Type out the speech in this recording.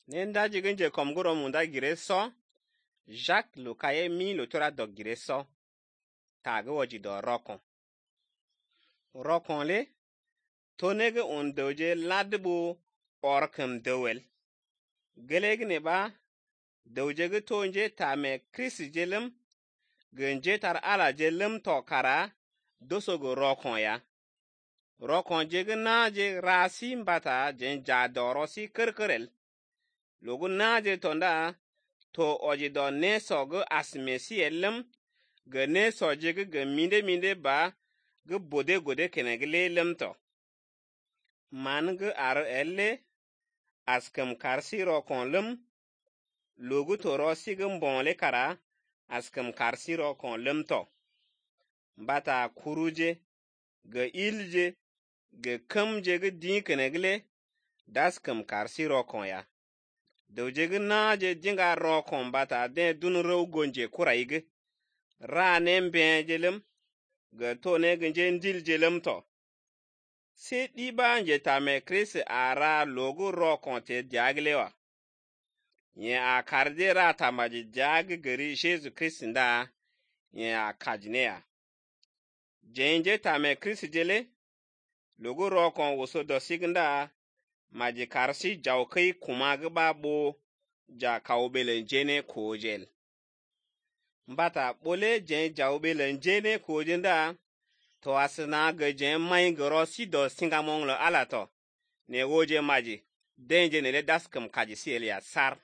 Nenda jiginje komguro munda gire so. Jacques lo kaye mi lo tora dog gire so. Tage waji do rokon. Rokon le. Tonege on doje ladbu orkem dowel. Gelege ne ba. Doje ge tonje tame Chris jelem. Genje tar ala jelem to kara. Dosogo rokon ya. Rokon jege na je rasi mbata jen jadoro si kerkerel. Logu na je tonda to oji do ne sogo asmesi elem. Ge ne so jege ge minde ba ge bode gode kenegele lem to. Man ge ar elle askem karsi rokon lem. Logu to rosi ge mbonle kara askem karsi rokon lem to. Mbata kuruje ge ilje ge kamje ge din kenegele daskem karsi rokon ya. Doje ge na je dinga rokon bata den dun rew gonje kuraige. Ra nembe jelem ge to ne genje ndil jelem to. Se diba nje tame Chris ara logo rokon te diaglewa. Nye a karde ra tamaji diag geri Jesu Christ nda nye a kajneya. Jenje tame Chris jele logo rokon woso dosignda maji karsi jawkai kuma gba bo ja kaubele jene kojel. Mbata bole jen jawbele jene kojenda to asina ge jen mai gorosi do singamong lo alato ne woje maji denje ne le daskem kaji sielia sar.